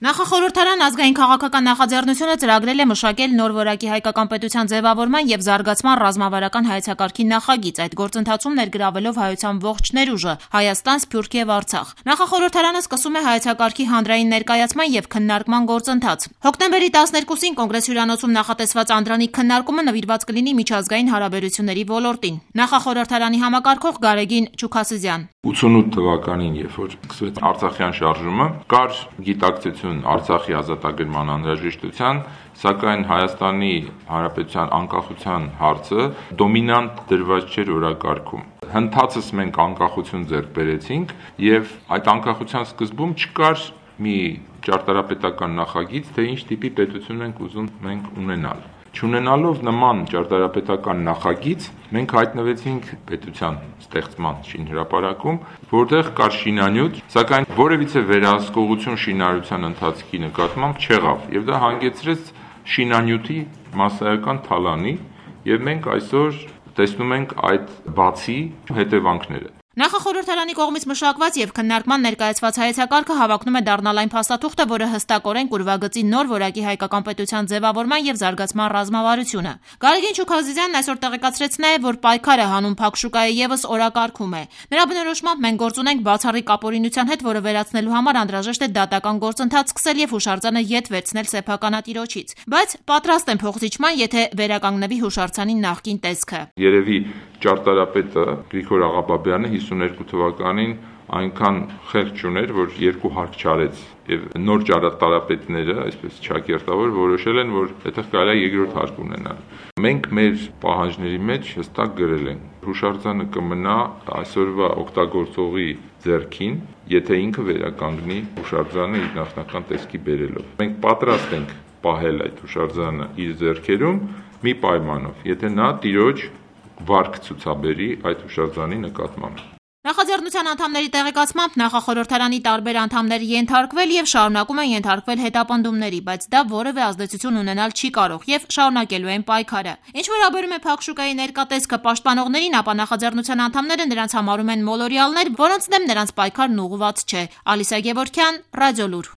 Նախախորհրդարան ազգային քաղաքական նախաձեռնությունը ծրագրել է մշակել նոր որակի հայկական պետության ձևավորման եւ զարգացման ռազմավարական հայեցակարգի նախագիծ, այդ գործընթացում ներգրավելով հայության ողջ ներուժը՝ Հայաստան, Սփյուռք եւ Արցախ։ Նախախորհրդարանը սկսում է հայեցակարգի հանրային ներկայացման եւ քննարկման գործընթաց։ Հոկտեմբերի 12-ին կոնգրես հյուրանոցում նախատեսված անդրանիկ քննարկումը նվիրված կլինի միջազգային հարաբերությունների ոլորտին։ Նախախորհրդարանի համակարգող Գարեգին Չուքասզյան 88 թվականին, երբ որ սկսվեց Արցախյան շարժումը, կար գիտակցություն Արցախի ազատագրման անհրաժեշտության, սակայն Հայաստանի Հանրապետության անկախության հարցը դոմինանտ դրված չէր օրակարգում։ Հնդածս մենք անկախություն ձեռք բերեցինք եւ այդ անկախության սկզբում չկար մի ճարտարապետական նախագիծ, թե ինչ տիպի պետություն ենք ուզում մենք ունենալ։ Չունենալով նման ճարտարապետական նախագիծ, մենք հայտնվեցինք պետության ստեղծման շինհրապարակում, որտեղ կար շինանյութ, սակայն որևիցե վերահսկողություն շինարարության ընթացքի նկատմամբ չեղավ, եւ դա հանգեցրեց շինանյութի մասսայական թալանի, եւ մենք այսօր տեսնում ենք այդ բացի հետևանքները։ Նախախորհրդարանի կողմից մշակված եւ քննարկման ներկայացված հայեցակարգը հավակնում է դառնալ այն փաստաթուղթը, որը հստակորեն կուրվագծի նոր որակի հայկական պետության ձևավորման եւ զարգացման ռազմավարությունը։ Գարեգին Չուքասզյանն այսօր տեղեկացրեց նաեւ, որ պայքարը հանուն փակ շուկայի եւս օրակարգում է։ Նրա բնորոշմամբ մենք գործ ունենք բացառիկ ապօրինության հետ, որը վերացնելու համար անհրաժեշտ է դատական գործընթաց սկսել եւ հուշարձանը ետ վերցնել սեփականատիրոջից, բայց պատրաստ են փոխզիջման, եթե վերականգնվի հուշարձանի նախկին տեսքը։ Երևի ճարտարապետը Գրիգոր Աղաբաբյանը 52 թվականին այնքան խեղճ ուներ, որ երկու հարկ չարեց եւ նոր ճարտարապետները, այսպես ճակերտավոր, որոշել են, որ այդտեղ կարելի է երկրորդ հարկ ունենալ։ Մենք մեր պահանջների մեջ հստակ գրել ենք. հուշարձանը կմնա այսօրվա օգտագործողի ձեռքին, եթե ինքը վերականգնի հուշարձանը իր նախնական տեսքի բերելով։ Մենք պատրաստ ենք պահել այդ հուշարձանը իր ձեռքերում մի պայմանով, եթե նա տիրոջ վարկ ցուցաբերի այդ հուշարձանի նկատմամբ։ Նախաձեռնության անդամների տեղեկացմամբ նախախորհրդարանի տարբեր անդամներ ենթարկվել եւ շարունակում են ենթարկվել հետապնդումների, բայց դա որևէ ազդեցություն ունենալ չի կարող եւ շարունակելու են պայքարը։ Ինչ վերաբերում է փակ շուկայի ներկա տեսքը պաշտպանողներին, ապա նախաձեռնության անդամները նրանց համարում են մոլորյալներ, որոնց դեմ նրանց պայքարն ուղղված չէ։ Ալիսա Գևորգյան, Ռադիոլուր։